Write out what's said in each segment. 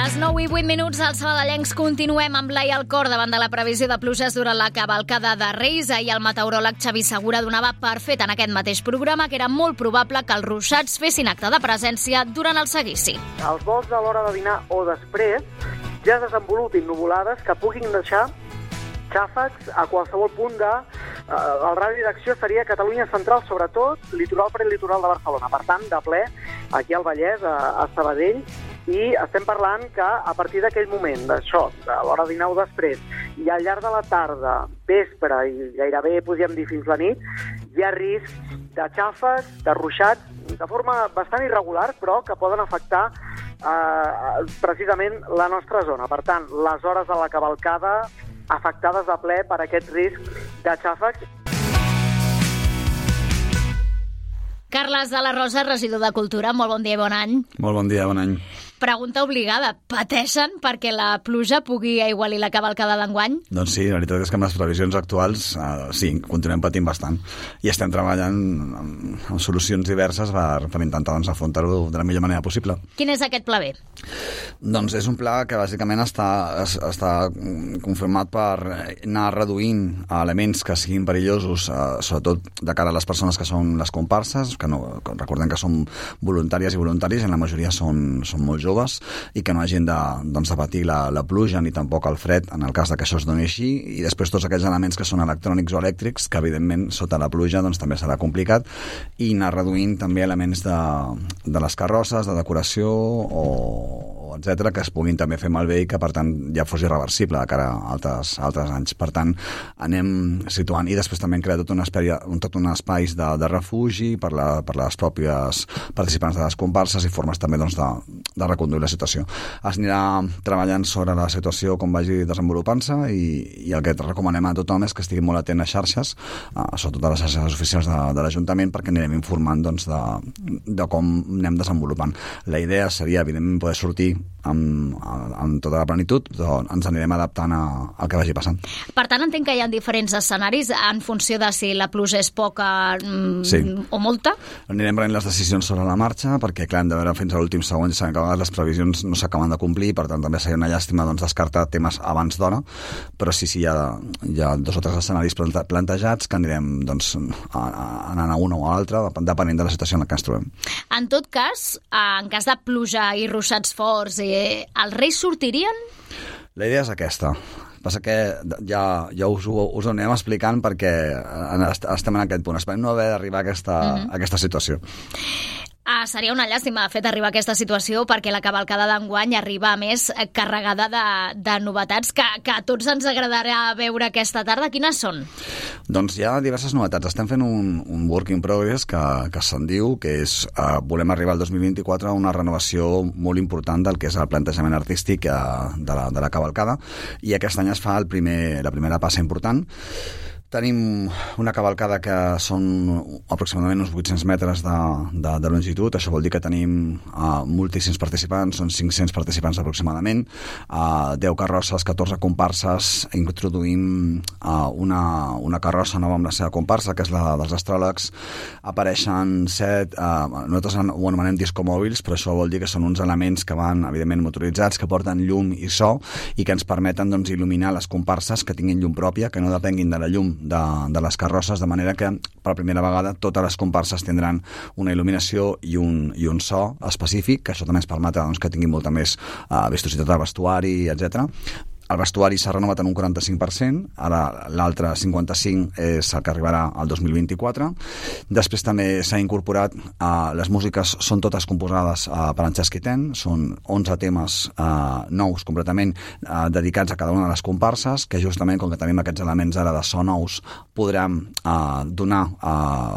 Les 9 i 8 minuts als sabadellencs continuem amb l'ai al cor davant de la previsió de pluges durant la cavalcada de Reis. Ahir el meteoròleg Xavi Segura donava per fet en aquest mateix programa que era molt probable que els ruixats fessin acte de presència durant el seguici. Els vols de l'hora de dinar o després ja desenvolupin nuvolades que puguin deixar xàfecs a qualsevol punt de... El radi d'acció seria Catalunya central, sobretot litoral prelitoral de Barcelona. Per tant, de ple, aquí al Vallès, a Sabadell, i estem parlant que a partir d'aquell moment, d'això, de l'hora de dinar o després, i al llarg de la tarda, vespre i gairebé, podríem dir, fins la nit, hi ha risc de xàfecs, de ruixats, de forma bastant irregular, però que poden afectar precisament la nostra zona. Per tant, les hores de la cavalcada afectades de ple per aquest risc de xàfecs. Carles de la Rosa, regidor de Cultura, molt bon dia i bon any. Molt bon dia, bon any. Pregunta obligada, pateixen perquè la pluja pugui aigualir la cavalcada d'enguany? Doncs sí, la veritat és que amb les previsions actuals sí, continuem patint bastant i estem treballant en solucions diverses per intentar afrontar-ho de la millor manera possible. Quin és aquest pla B? Doncs és un pla que bàsicament està confirmat per anar reduint elements que siguin perillosos, sobretot de cara a les persones que són les comparses, que recordem que són voluntàries i voluntaris, en la majoria són molt joves, i que no hagin de patir la pluja ni tampoc el fred en el cas que això es doni així, i després tots aquells elements que són electrònics o elèctrics, que evidentment sota la pluja també serà complicat, i anar reduint també elements de les carrosses, de decoració o etcètera, que es puguin també fer malbé i que per tant ja fos irreversible de cara a altres anys. Per tant, anem situant, i després també hem creat tot un espais de refugi per les pròpies participants de les comparses i formes també de reconduir la situació. Es anirà treballant sobre la situació com vagi desenvolupant-se, i el que recomanem a tothom és que estigui molt atent a xarxes, sobretot a les xarxes oficials de l'Ajuntament, perquè anirem informant de com anem desenvolupant. La idea seria, evidentment, poder sortir amb tota la plenitud, però ens anirem adaptant al que vagi passant. Per tant, entenc que hi ha diferents escenaris en funció de si la pluja és poca o molta? Anirem prenent les decisions sobre la marxa, perquè clar, hem de veure fins a l'últim segon, i sabem que a vegades les previsions no s'acaben de complir, per tant també seria una llàstima descartar temes abans d'hora, però sí, hi ha dos o tres escenaris plantejats que anirem anant a un o a l'altre, depenent de la situació en la que ens trobem. En tot cas, en cas de pluja i ruixats forts, els Reis sortirien? La idea és aquesta. Passa que ja us ho anem explicant perquè estem en aquest punt. Esperem no haver d'arribar a aquesta situació. Seria una llàstima, de fet, arribar a aquesta situació, perquè la cavalcada d'enguany arriba, a més, carregada de novetats que a tots ens agradarà veure aquesta tarda. Quines són? Doncs hi ha diverses novetats. Estem fent un work in progress que se'n diu, que és volem arribar al 2024 a una renovació molt important del que és el plantejament artístic de la cavalcada, i aquest any es fa la primera passa important. Tenim una cavalcada que són aproximadament uns 800 metres de longitud. Això vol dir que tenim moltíssims participants, són 500 participants aproximadament, 10 carrosses, 14 comparses. Introduïm una carrossa nova amb la seva comparsa, que és la dels astròlegs. Apareixen 7, nosaltres ho anomenem discomòbils, però això vol dir que són uns elements que van, evidentment, motoritzats, que porten llum i so, i que ens permeten il·luminar les comparses, que tinguin llum pròpia, que no depenguin de la llum de les carrosses, de manera que per primera vegada totes les comparses tindran una il·luminació i un so específic, que això també ens permetrà que tinguin molta més vistositat del vestuari, etc. El vestuari s'ha renovat en un 45%, ara l'altre 55% és el que arribarà al 2024. Després també s'ha incorporat, les músiques són totes composades per en Xasquiten, són 11 temes nous completament dedicats a cada una de les comparses, que justament, com que tenim aquests elements ara de so nous, podrem donar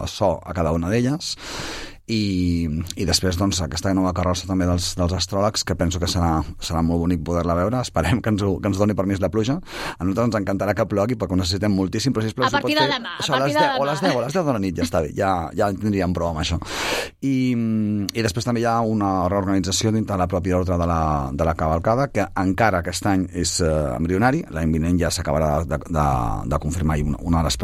so a cada una d'elles. I després aquesta nova carrossa també dels astròlegs, que penso que serà molt bonic poder-la veure. Esperem que ens doni permís la pluja. A nosaltres ens encantarà que plogui perquè ho necessitem moltíssim, però sisplau, a partir de demà, a les 10 de la nit ja està bé, ja tindríem prou amb això. I després també hi ha una reorganització dintre la pròpia ordre de la cavalcada, que encara aquest any és embrionari. L'any vinent ja s'acabarà de confirmar, i una de les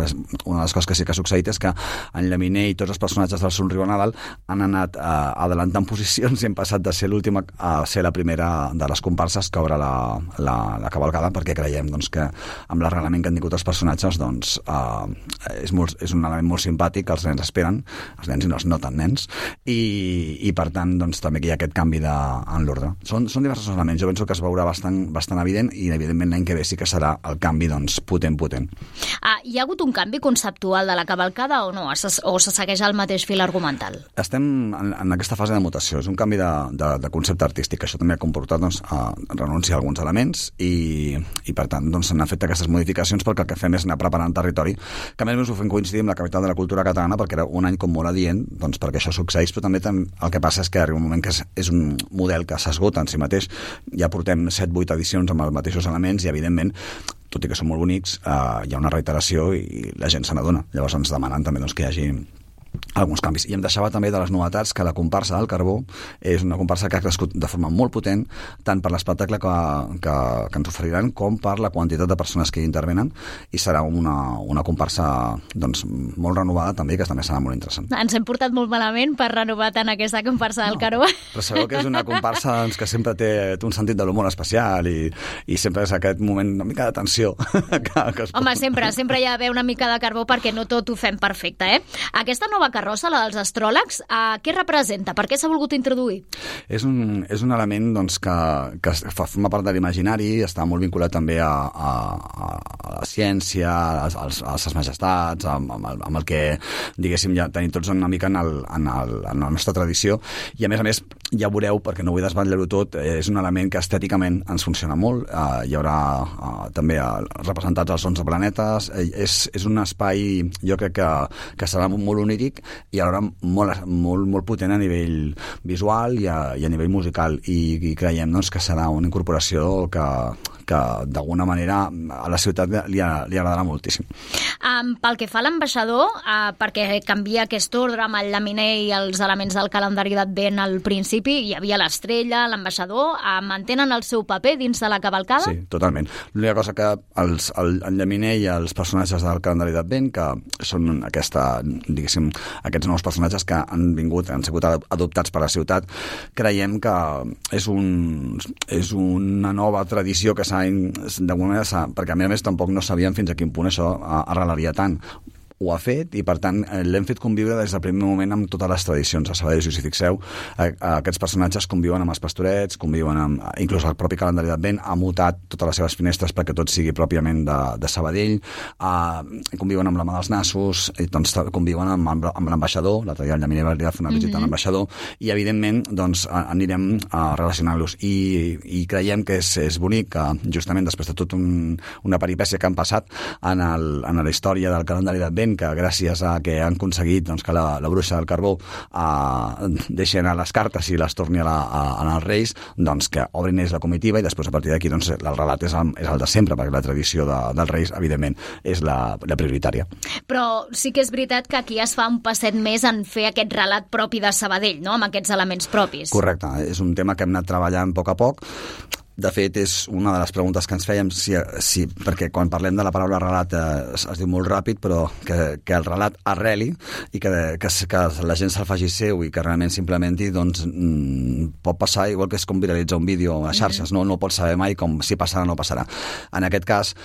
coses que sí que ha succeït és que en Llaminer i tots els personatges del Somriu a Nadal han anat adelantant posicions i hem passat de ser l'última a ser la primera de les comparses que obre la cavalcada, perquè creiem doncs, que amb l'arrelament que han tingut els personatges doncs, és un element molt simpàtic que els nens esperen, els nens i els no tan nens, i per tant doncs, també que hi ha aquest canvi en l'ordre. Són diversos elements, jo penso que es veurà bastant evident, i evidentment l'any que ve sí que serà el canvi doncs, potent. Hi ha hagut un canvi conceptual de la cavalcada o no? O se segueix el mateix fil argumental? Estem en aquesta fase de mutació, és un canvi de concepte artístic. Això també ha comportat doncs, renunciar a alguns elements i per tant doncs, s'han fet aquestes modificacions perquè el que fem és anar preparant territori, que a més ho fem coincidir amb la capital de la cultura catalana, perquè era un any com molt adient doncs, perquè això succeeix, però també el que passa és que arriba un moment que és un model que s'esgota en si mateix. Ja portem 7-8 edicions amb els mateixos elements i evidentment, tot i que són molt bonics, hi ha una reiteració i la gent se n'adona. Llavors ens demanen també doncs, que hi hagi alguns canvis. I em deixava també de les novetats que la comparsa del Carbó és una comparsa que ha crescut de forma molt potent, tant per l'espectacle que ens oferiran com per la quantitat de persones que hi intervenen, i serà una comparsa doncs, molt renovada també, que també serà molt interessant. Ens hem portat molt malament per renovar tant aquesta comparsa del Carbó. Però sabeu que és una comparsa doncs, que sempre té un sentit de l'humor especial i sempre és aquest moment una mica de tensió. Home, sempre hi ha d'haver una mica de carbó perquè no tot ho fem perfecte, eh? Aquesta nova carrossa, la dels astròlegs, què representa? Per què s'ha volgut introduir? És un element doncs, que forma part de l'imaginari, està molt vinculat també a la ciència, a les majestats, amb el que, diguéssim, ja tenim tots una mica en la nostra tradició, i a més, ja veureu, perquè no vull desvetllar-ho tot, és un element que estèticament ens funciona molt, hi haurà també representats els 11 planetes, és un espai, jo crec que serà molt oníric i alhora molt potent a nivell visual i a nivell musical, i creiem doncs, que serà una incorporació que d'alguna manera a la ciutat li agradarà moltíssim. Pel que fa a l'ambaixador, perquè canvia aquest ordre amb el llaminer i els elements del calendari d'Advent al principi, hi havia l'estrella, l'ambaixador, mantenen el seu paper dins de la cavalcada? Sí, totalment. L'única cosa que el llaminer i els personatges del calendari d'Advent, que són diguéssim, aquests nous personatges que han sigut adoptats per la ciutat, creiem que és una nova tradició que d'alguna manera, perquè a més tampoc no sabíem fins a quin punt això arrelaria tant. Ho ha fet i, per tant, l'hem fet conviure des del primer moment amb totes les tradicions. A Sabadell, si us hi fixeu, aquests personatges conviuen amb els pastorets, conviuen amb... Inclús el propi calendari d'Advent ha mutat totes les seves finestres perquè tot sigui pròpiament de Sabadell, conviuen amb la mà dels nassos, doncs, conviuen amb l'ambaixador, l'altre dia el Llaminer va fer una visita a l'ambaixador, i, evidentment, doncs, anirem relacionant-los. I creiem que és bonic que, justament, després de tota una peripècia que han passat en la història del calendari d'Advent, que gràcies a que han aconseguit doncs, que la bruixa del Carbó deixi anar les cartes i les torni als Reis, doncs que obrin ells la comitiva i després a partir d'aquí doncs, el relat és el de sempre, perquè la tradició dels Reis, evidentment, és la prioritària. Però sí que és veritat que aquí es fa un passet més en fer aquest relat propi de Sabadell, no?, amb aquests elements propis. Correcte, és un tema que hem anat treballant a poc a poc. De fet, és una de les preguntes que ens fèiem, perquè quan parlem de la paraula relat es diu molt ràpid, però que el relat arreli i que la gent se'l faci seu i que realment s'implementi, doncs pot passar igual que és com viralitzar un vídeo a xarxes, no pots saber mai si passarà o no passarà. En aquest cas,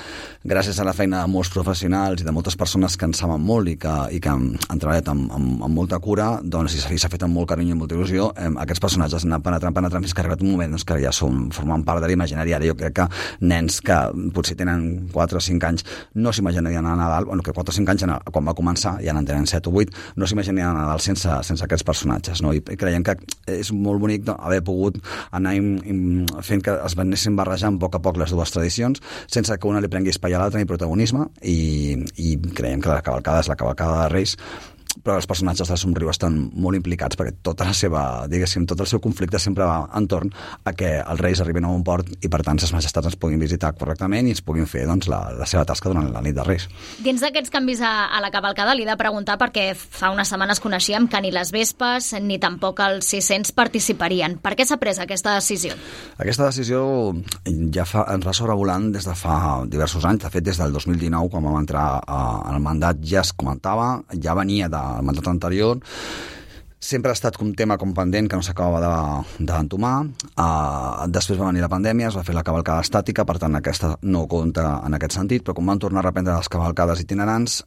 gràcies a la feina de molts professionals i de moltes persones que en saben molt i que han treballat amb molta cura, doncs i s'ha fet amb molt carinyo i molta il·lusió, aquests personatges han anat penetrant fins que ha arribat un moment que ja formen part de l'imaginari. Ara jo crec que nens que potser tenen 4 o 5 anys no s'imaginarien a Nadal, que 4 o 5 anys quan va començar, ja n'en tenen 7 o 8, no s'imaginarien a Nadal sense aquests personatges, no? I creiem que és molt bonic haver pogut anar fent que es anessin barrejant a poc les dues tradicions sense que una li prengui espai a l'altra ni protagonisme, i creiem que la cavalcada és la cavalcada de Reis, però els personatges del Somriu estan molt implicats perquè tot el seu conflicte sempre va entorn a que els Reis arribin a un port i, per tant, les majestats ens puguin visitar correctament i ens puguin fer doncs, la seva tasca durant la nit de Reis. Dins d'aquests canvis a la cavalcada li he de preguntar, perquè fa unes setmanes coneixíem que ni les Vespes ni tampoc els 600 participarien. Per què s'ha pres aquesta decisió? Aquesta decisió ja ens va sobrevolant des de fa diversos anys. De fet, des del 2019, quan vam entrar al mandat, ja es comentava, ja venia del mandat anterior. sempre ha estat un tema com pendent que no s'acabava d'entomar. Després va venir la pandèmia, es va fer la cavalcada estàtica, per tant aquesta no compta en aquest sentit, però quan van tornar a reprendre les cavalcades itinerants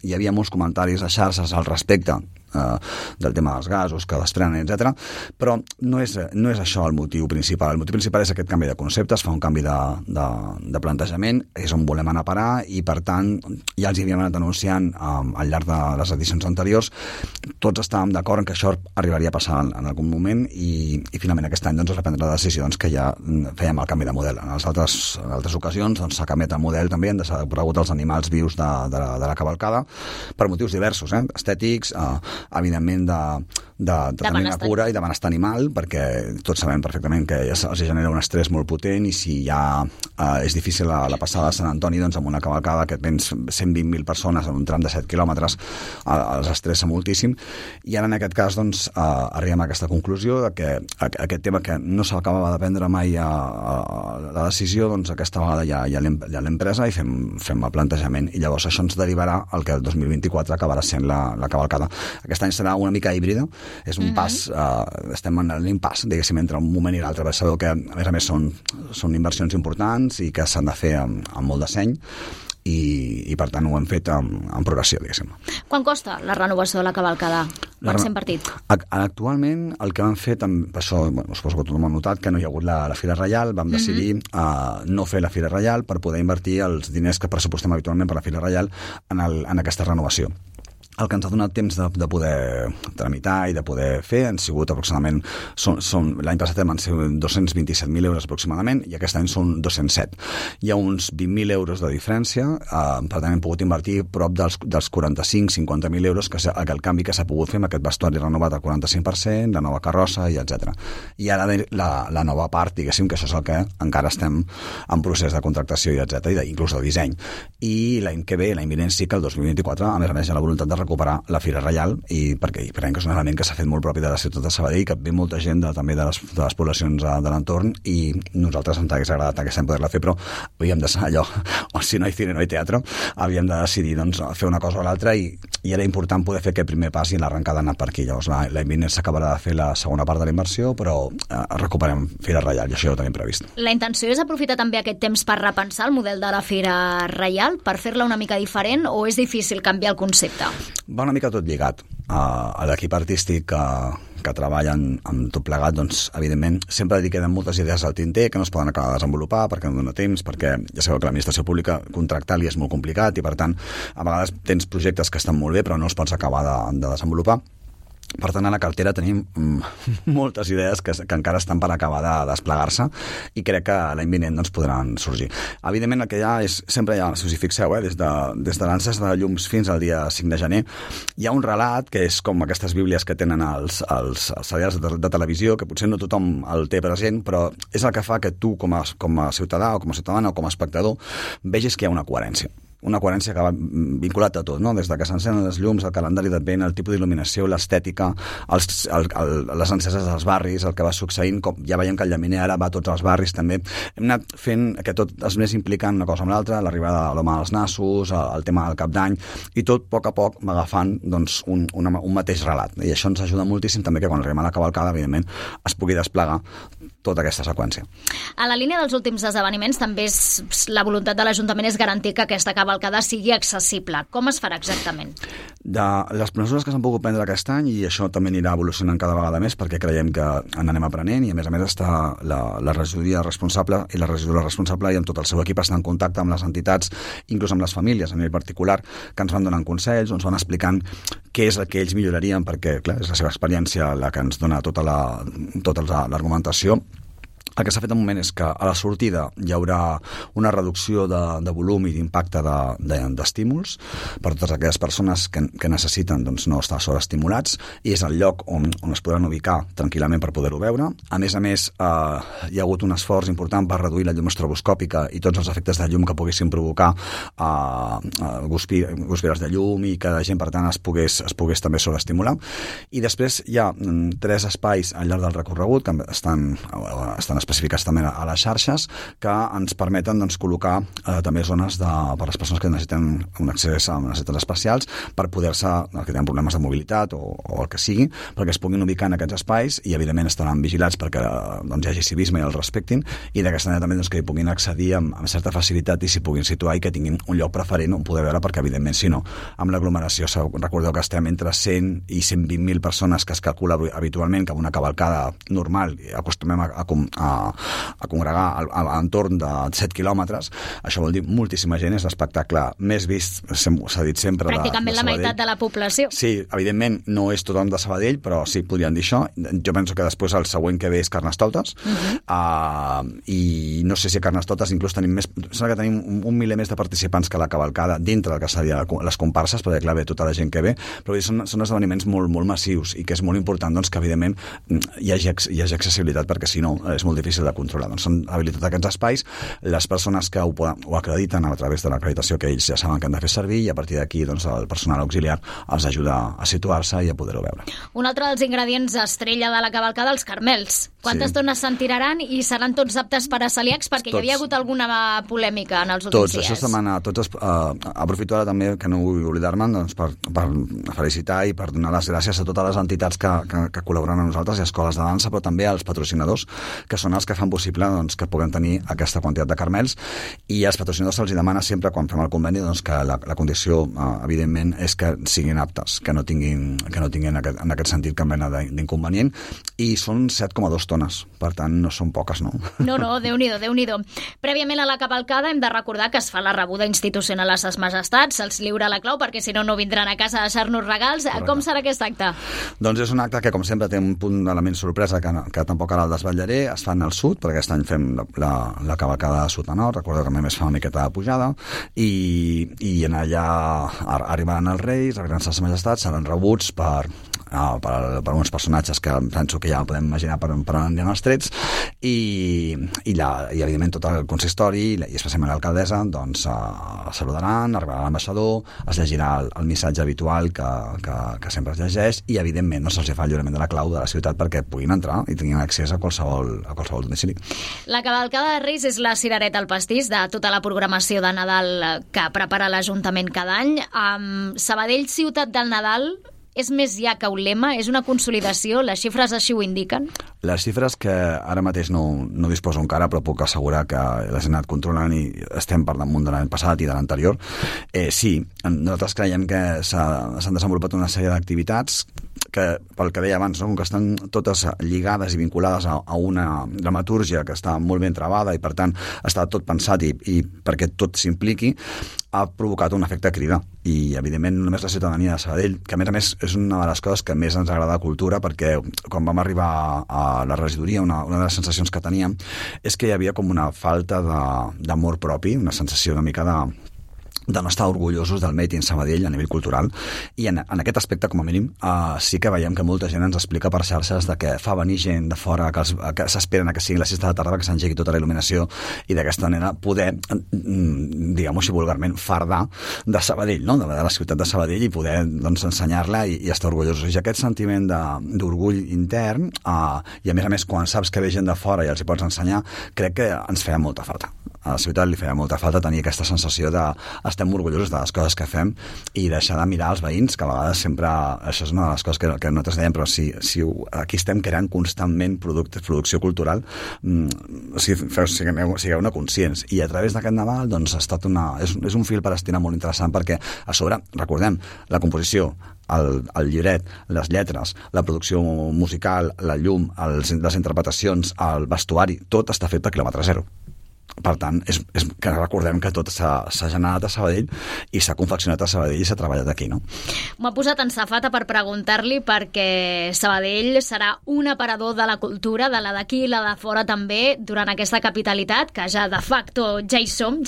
hi havia molts comentaris a xarxes al respecte del tema dels gasos que desprenen, etc. Però no és això el motiu principal. El motiu principal és aquest canvi de conceptes, fa un canvi de plantejament, és on volem anar a parar i, per tant, ja els hi havíem anat anunciant al llarg de les edicions anteriors. Tots estàvem d'acord en que això arribaria a passar en algun moment i finalment aquest any es va prendre la decisió que ja fèiem el canvi de model. En les altres ocasions s'ha canviat el model també, han desaparegut els animals vius de la cavalcada per motius diversos, estètics, evidentment de tenir una cura i de benestar animal, perquè tots sabem perfectament que els genera un estrès molt potent i si ja és difícil la passada de Sant Antoni, doncs amb una cavalcada que tens 120.000 persones en un tram de 7 quilòmetres els estressa moltíssim, i ara en aquest cas doncs arribem a aquesta conclusió de que aquest tema que no s'acabava de prendre mai la decisió, doncs aquesta vegada ja l'hem presa i fem el plantejament, i llavors això ens derivarà al que el 2024 acabarà sent la cavalcada. Aquest any serà una mica híbrida, és un pas, estem en l'impàs, diguéssim, entre un moment i l'altre, perquè sabeu que a més són inversions importants i que s'han de fer amb molt de seny i per tant ho hem fet en progressió, diguéssim. Quan costa la renovació de la cavalcada per 100 partit? Actualment el que vam fer, per això suposo que tothom ha notat que no hi ha hagut la Fira Reial, vam decidir no fer la Fira Reial per poder invertir els diners que pressupostem habitualment per la Fira Reial en aquesta renovació. El que ens ha donat temps de poder tramitar i de poder fer han sigut aproximadament, l'any passat van ser 227.000 euros aproximadament i aquest any són 207. Hi ha uns 20.000 euros de diferència, per tant hem pogut invertir prop dels 45-50.000 euros que el canvi que s'ha pogut fer amb aquest vestuari renovat al 45%, la nova carrossa i etc. I ara la nova part, diguéssim, que això és el que encara estem en procés de contractació i etc, i inclús de disseny. I l'any que ve, l'any vinent sí que el 2024, a més hi ha la voluntat de recuperar la Fira Reial i perquè creiem que és un element que s'ha fet molt propi de la ciutat de Sabadell, que ve molta gent també de les poblacions de l'entorn i nosaltres ens hagués agradat aquest any poder-la fer, però havíem de ser allò, o si no hi cine no hi teatre, havíem de decidir fer una cosa o l'altra i era important poder fer aquest primer pas i l'arrencada ha anat per aquí. Llavors l'any vinent s'acabarà de fer la segona part de la inversió, però recuperem Fira Reial i això ho tenim previst. La intenció és aprofitar també aquest temps per repensar el model de la Fira Reial, per fer-la una mica diferent, o és difícil canviar el concepte? Va una mica tot lligat. A l'equip artístic que treballen amb tot plegat, doncs, evidentment, sempre li queden moltes idees al tinter que no es poden acabar de desenvolupar perquè no dona temps, perquè ja sabeu que l'administració pública contractar-li és molt complicat i, per tant, a vegades tens projectes que estan molt bé però no els pots acabar de desenvolupar. Per tant, a la cartera tenim moltes idees que encara estan per acabar de desplegar-se i crec que l'any vinent doncs, podran sorgir. Evidentment, el que hi ha és, sempre hi ha, si us hi fixeu, des de l'encès de llums fins al dia 5 de gener, hi ha un relat que és com aquestes bíblies que tenen els serials de televisió, que potser no tothom el té present, però és el que fa que tu, com a ciutadà o com a ciutadana o com a espectador, vegis que hi ha una coherència. Una coherència que va vinculat a tot, no? Des de que s'encenen les llums, el calendari d'advent, el tipus d'il·luminació, l'estètica, les enceses dels barris, el que va succeint, com ja veiem que el llaminer ara va a tots els barris també. Hem anat fent que tot es més implicant una cosa amb l'altra, l'arribada de l'home als nassos, el tema del cap d'any, i tot a poc va agafant doncs, un mateix relat. I això ens ajuda moltíssim també que quan arribem a la cavalcada, evidentment, es pugui desplegar tota aquesta seqüència. A la línia dels últims esdeveniments també la voluntat de l'Ajuntament és garantir que aquesta cavalcada sigui accessible. Com es farà exactament? De les mesures que s'han pogut prendre aquest any, i això també anirà evolucionant cada vegada més perquè creiem que n'anem aprenent, i a més està la regidoria responsable i la regidora responsable i amb tot el seu equip està en contacte amb les entitats, inclús amb les famílies a nivell particular, que ens van donant consells, ens van explicant què és el que ells millorarien, perquè clar, és la seva experiència la que ens dona tota l'argumentació. El que s'ha fet al moment és que a la sortida hi haurà una reducció de volum i d'impacte d'estímuls per totes aquelles persones que necessiten doncs, no estar sobreestimulats, i és el lloc on es podran ubicar tranquil·lament per poder-ho veure. A més, hi ha hagut un esforç important per reduir la llum estroboscòpica i tots els efectes de llum que poguessin provocar guspires de llum i que la gent, per tant, es pogués també sobreestimular. I després hi ha 3 espais al llarg del recorregut que estan estan especificats també a les xarxes, que ens permeten doncs, col·locar també zones per a les persones que necessiten un accés a necessitats especials per poder-se, que tenen problemes de mobilitat o el que sigui, perquè es puguin ubicar en aquests espais i evidentment estaran vigilats perquè doncs, hi hagi civisme i els respectin, i d'aquesta manera també doncs, que hi puguin accedir amb certa facilitat i s'hi puguin situar i que tinguin un lloc preferent on poder veure, perquè evidentment si no, amb l'aglomeració, recordeu que estem entre 100 i 120.000 persones que es calcula habitualment que amb una cavalcada normal acostumem a congregar a entorn de 7 quilòmetres. Això vol dir moltíssima gent, és l'espectacle més vist, s'ha dit sempre, pràcticament de la meitat de la població. Sí, evidentment no és tothom de Sabadell, però sí, podríem dir això. Jo penso que després el següent que ve és Carnestoltes, i no sé si a Carnestoltes inclús tenim més, sembla que tenim un miler més de participants que la cavalcada dintre del que seria les comparses, perquè clar, ve tota la gent que ve, però són esdeveniments molt, molt massius i que és molt important doncs, que evidentment hi hagi accessibilitat, perquè si no és molt difícil de controlar. Doncs són habilitats aquests espais, les persones que ho acrediten a través de l'acreditació que ells ja saben que han de fer servir, i a partir d'aquí doncs, el personal auxiliar els ajuda a situar-se i a poder-ho veure. Un altre dels ingredients estrella de la cavalcada, els carmels. Quantes dones se'n tiraran i seran tots aptes per a celíacs? Perquè hi havia hagut alguna polèmica en els últims dies. Això es demana, aprofito ara també, que no vull oblidar-me'n, doncs, per felicitar i per donar les gràcies a totes les entitats que col·laboren amb nosaltres, i escoles de dansa, però també als patrocinadors, que són els que fan possible doncs, que puguem tenir aquesta quantitat de carmels, i als patrocinadors se'ls demana sempre, quan fem el conveni, doncs, que la condició, evidentment, és que siguin aptes, que no tinguin en aquest sentit cap mena d'inconvenient, i són 7,2 tones, per tant no són poques, no? No, Déu-n'hi-do, Déu-n'hi-do. Prèviament a la cavalcada hem de recordar que es fa la rebuda institucional a ses majestats, se'ls lliura la clau perquè si no vindran a casa a deixar-nos regals. Correcte. Com serà aquest acte? Doncs és un acte que, com sempre, té un punt d'element sorpresa que tampoc ara el desvetllaré. Es fan al sud, perquè aquest any fem la cavalcada de sud a nord, recordeu que a més fa una miqueta de pujada, i en allà arribaran els reis, arribaran les majestats, seran rebuts per uns personatges que penso que ja podem imaginar per on aniran els trets, i evidentment tot el consistori i especialment l'alcaldessa doncs saludaran, arribarà l'ambaixador, es llegirà el missatge habitual que sempre es llegeix, i evidentment no se'ls fa el lliurament de la clau de la ciutat perquè puguin entrar i tinguin accés a qualsevol domicili. La cavalcada de Reis és la cirereta al pastís de tota la programació de Nadal que prepara l'Ajuntament cada any. Sabadell, ciutat del Nadal, és més ja que un lema? És una consolidació? Les xifres així ho indiquen? Les xifres, que ara mateix no disposo encara, però puc assegurar que les he anat controlant i estem per damunt de l'any passat i de l'anterior. Sí, nosaltres creiem que s'han desenvolupat una sèrie d'activitats que, pel que deia abans, que estan totes lligades i vinculades a una dramatúrgia que està molt ben trebada i, per tant, està tot pensat i perquè tot s'impliqui, ha provocat un efecte crida. I, evidentment, només la ciutadania de Sabadell, que, a més, és una de les coses que més ens agrada a Cultura, perquè quan vam arribar a la regidoria, una de les sensacions que teníem és que hi havia com una falta d'amor propi, una sensació una mica de no estar orgullosos del Made in Sabadell a nivell cultural, i en aquest aspecte, com a mínim, sí que veiem que molta gent ens explica per xarxes de que fa venir gent de fora, que s'esperen que sigui les 6 de la tarda, que s'engegui tota la il·luminació, i d'aquesta manera poder, diguem-ho així vulgarment, fardar de Sabadell, no? de la ciutat de Sabadell, i poder doncs, ensenyar-la i estar orgullosos. I aquest sentiment d'orgull intern, i a més, quan saps que ve gent de fora i els hi pots ensenyar, crec que ens feia molta falta. A la ciutat li feia molta falta tenir aquesta sensació de estem orgullosos de les coses que fem i deixar de mirar els veïns, que a vegades sempre, això és una de les coses que nosaltres dèiem, però si aquí estem creant constantment producció cultural, sigueu-ne conscients. I a través d'aquest Nadal doncs, ha estat és un fil per estirar molt interessant, perquè a sobre, recordem, la composició, el llibret, les lletres, la producció musical, la llum, les interpretacions, el vestuari, tot està fet per quilòmetre zero. Per tant, és que recordem que tot s'ha generat a Sabadell i s'ha confeccionat a Sabadell i s'ha treballat aquí, no? M'ha posat en safata per preguntar-li, perquè Sabadell serà un aparador de la cultura, de la d'aquí i la de fora també, durant aquesta capitalitat, que ja de facto ja hi som,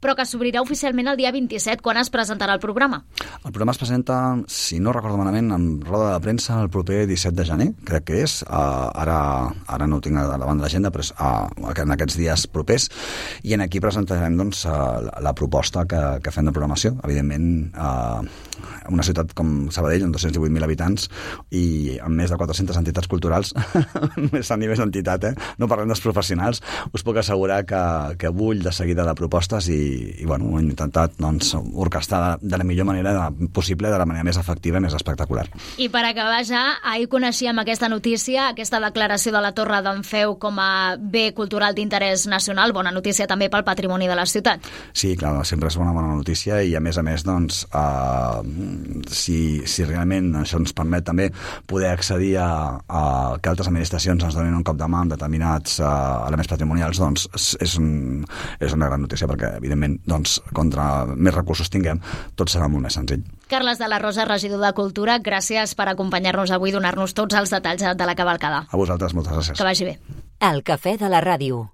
però que s'obrirà oficialment el dia 27, quan es presentarà el programa. El programa es presenta, si no recordo malament, en roda de premsa el proper 17 de gener, crec que és. Ara no ho tinc davant de l'agenda, però en aquests dies propers després, i en aquí presentarem doncs, la proposta que fem de programació. Evidentment, una ciutat com Sabadell, amb 218.000 habitants i amb més de 400 entitats culturals, més a nivell d'entitat, no parlem dels professionals, us puc assegurar que bull de seguida de propostes i bueno, hem intentat doncs, orquestar de la millor manera possible, de la manera més efectiva i més espectacular. I per acabar ja, ahir coneixíem aquesta notícia, aquesta declaració de la Torre d'en Feu com a bé cultural d'interès nacional, bona notícia també pel patrimoni de la ciutat. Sí, clar, sempre és una bona notícia i a més, doncs, si realment això ens permet també poder accedir a que altres administracions ens donin un cop de mà amb determinats elements patrimonials, doncs és una gran notícia perquè, evidentment, doncs, contra més recursos tinguem, tot serà molt més senzill. Carles de la Rosa, regidor de Cultura, gràcies per acompanyar-nos avui i donar-nos tots els detalls de la cavalcada. A vosaltres, moltes gràcies. Que vagi bé. El Cafè de la Ràdio,